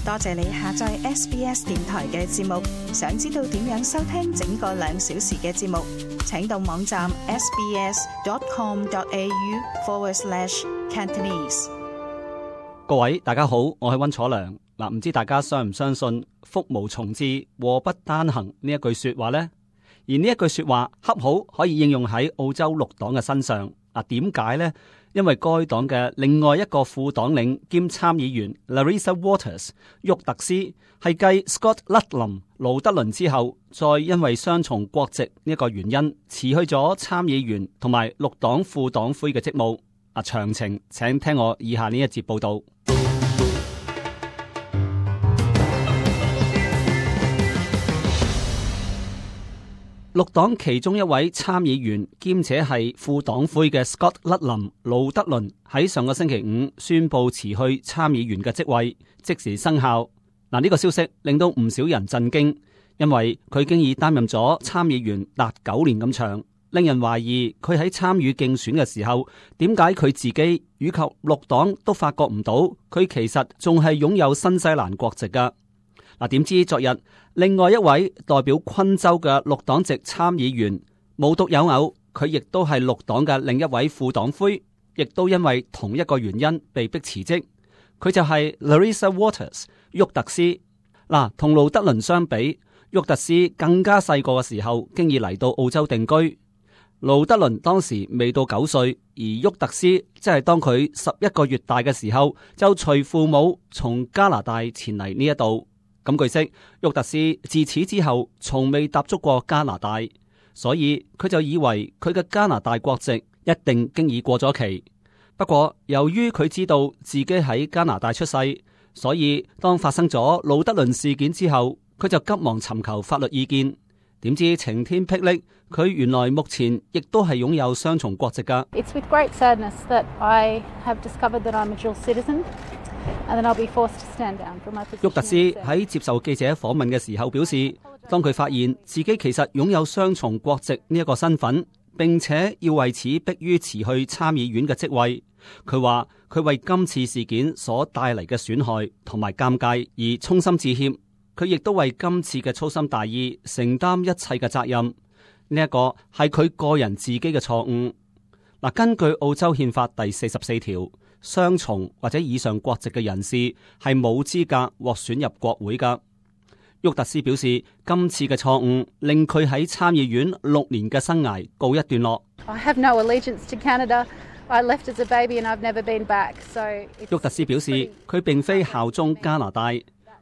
多謝你下載 SBS 電台嘅節目。想知道點樣收聽整個2小時嘅節目，請到網站 sbs.com.au/Cantonese。各位大家好，我係溫楚良。嗱，唔知大家相唔相信福無從至，禍不單行呢一句說話呢？而呢一句說話恰好可以應用喺澳洲綠黨嘅身上。嗱，點解呢？因為該黨嘅另外一個副黨領兼參議員 Larissa Waters 沃特斯係繼 Scott Ludlam 盧德倫之後，再因為雙重國籍呢一個原因辭去咗參議員同埋綠黨副黨魁嘅職務。詳情請聽我以下呢一節報道。綠黨其中一位參議員兼且係副黨魁嘅 Scott Ludlam 盧德倫喺上個星期5宣布辭去參議員嘅職位，即時生效。嗱，呢個消息令到唔少人震驚，因為佢經已擔任咗參議員達9年咁長，令人懷疑佢喺參與競選嘅時候，點解佢自己以及綠黨都發覺唔到佢其實仲係擁有新西蘭國籍噶。嗱，點知昨日另外一位代表昆州嘅綠黨籍參議員無獨有偶，佢亦都係綠黨嘅另一位副黨魁，亦都因為同一個原因被迫辭職。佢就係 Larissa Waters 沃特斯。嗱，同盧德倫相比，沃特斯更加細個嘅時候經已嚟到澳洲定居。盧德倫當時未到9歲，而沃特斯即係當佢11個月大嘅時候，就隨父母從加拿大前嚟呢一度。咁據悉，沃特斯自此之後從未踏足過加拿大，所以佢就以為佢嘅加拿大國籍一定經已過咗期。不過由於佢知道自己喺加拿大出世，所以當發生咗盧德倫事件之後，佢就急忙尋求法律意見。點知晴天霹靂，佢原來目前亦都係擁有雙重國籍㗎。It's with great sadness that I have discovered that I'm a dual citizen. 沃特斯喺接受記者訪問嘅時候表示，當佢發現自己其實擁有雙重國籍呢一個身份，並且要為此迫於辭去參議院嘅職位，佢話佢為今次事件所帶嚟嘅損害同埋尷尬而衷心致歉。佢亦都為今次嘅粗心大意承擔一切嘅責任。呢一個係佢個人自己嘅錯誤。嗱，根據澳洲憲法第44條。雙重或者以上國籍嘅人士係冇資格獲選入國會噶。沃特斯表示，今次嘅錯誤令佢喺參議院6年嘅生涯告一段落。沃特斯表示，佢並非效忠加拿大，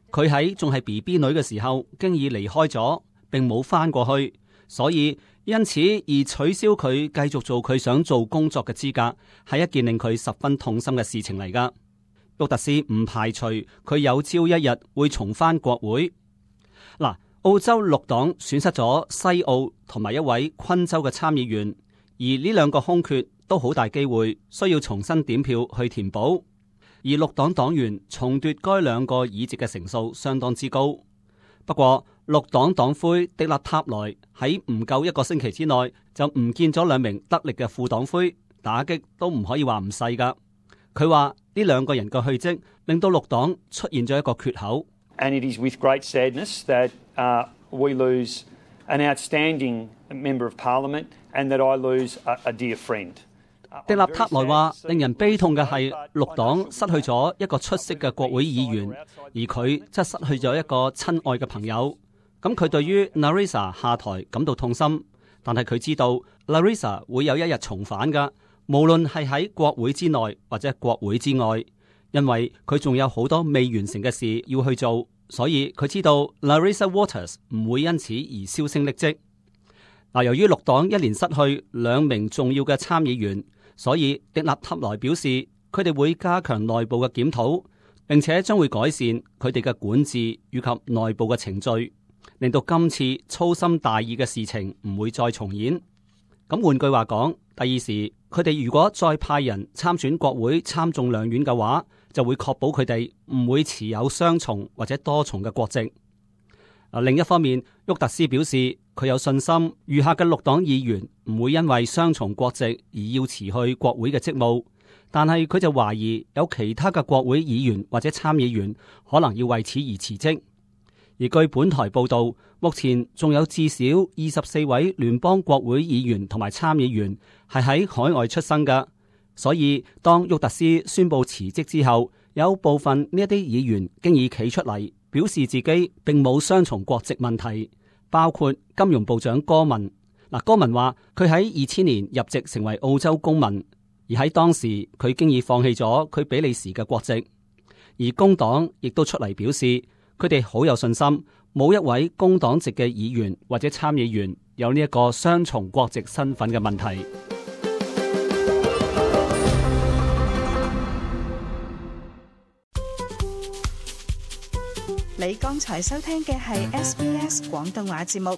佢喺仲係 BB 女嘅時候經已離開咗，並冇翻過去，所以因此而取消佢繼續做佢想做工作嘅資格，係一件令佢十分痛心嘅事情嚟噶。沃特斯唔排除佢有朝一日會重返國會。嗱，澳洲綠黨損失咗西澳同埋一位昆州嘅參議員，而呢兩個空缺都好大機會需要重新點票去填補，而綠黨黨員重奪該兩個議席嘅成數相當之高。不過綠黨黨魁迪納塔萊喺唔夠1個星期之內就唔見咗2名得力嘅副黨魁，打擊都唔可以話唔細噶。佢話呢2個人嘅去職令到綠黨出現咗一個缺口。And it is with great sadness that we lose an outstanding member of parliament and that I lose a dear friend. 迪納塔萊話，令人悲痛嘅係綠黨失去咗一個出色嘅國會議員，而佢則失去咗一個親愛嘅朋友。咁佢對於 Larissa 下台感到痛心，但係佢知道 Larissa 會有一日重返噶，無論係喺國會之內或者國會之外，因為佢仲有好多未完成嘅事要去做，所以佢知道 Larissa Waters 唔會因此而銷聲匿跡。嗱，由於綠黨一連失去2名重要嘅參議員，所以迪納塔萊表示佢哋會加強內部嘅檢討，並且將會改善佢哋嘅管治以及內部嘅程序，令到今次粗心大意嘅事情唔會再重演。咁換句話講，第二時佢哋如果再派人參選國會參眾兩院嘅話，就會確保佢哋唔會持有雙重或者多重嘅國籍。另一方面，沃特斯表示佢有信心餘下嘅綠黨議員唔會因為雙重國籍而要辭去國會嘅職務，但係佢就懷疑有其他嘅國會議員或者參議員可能要為此而辭職。而據本台報道，目前仲有至少24位聯邦國會議員同埋參議員係喺海外出生嘅，所以當沃特斯宣布辭職之後，有部分呢一啲議員經已企出嚟表示自己並冇雙重國籍問題，包括金融部長戈文。戈文話佢喺2000年入籍成為澳洲公民，而喺當時佢經已放棄咗佢比利時嘅國籍。而工黨亦都出嚟表示，佢哋好有信心，冇一位工黨籍嘅議員或者參議員有呢一個雙重國籍身份嘅問題。你剛才收聽嘅係 SBS 廣東話節目，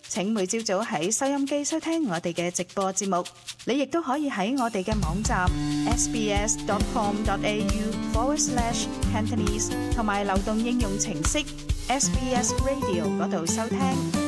請每朝早喺收音機收聽我哋嘅直播節目。你亦都可以喺我哋嘅網站 sbs.com.au/Cantonese 同埋流動應用程式 SBS Radio 嗰度收聽。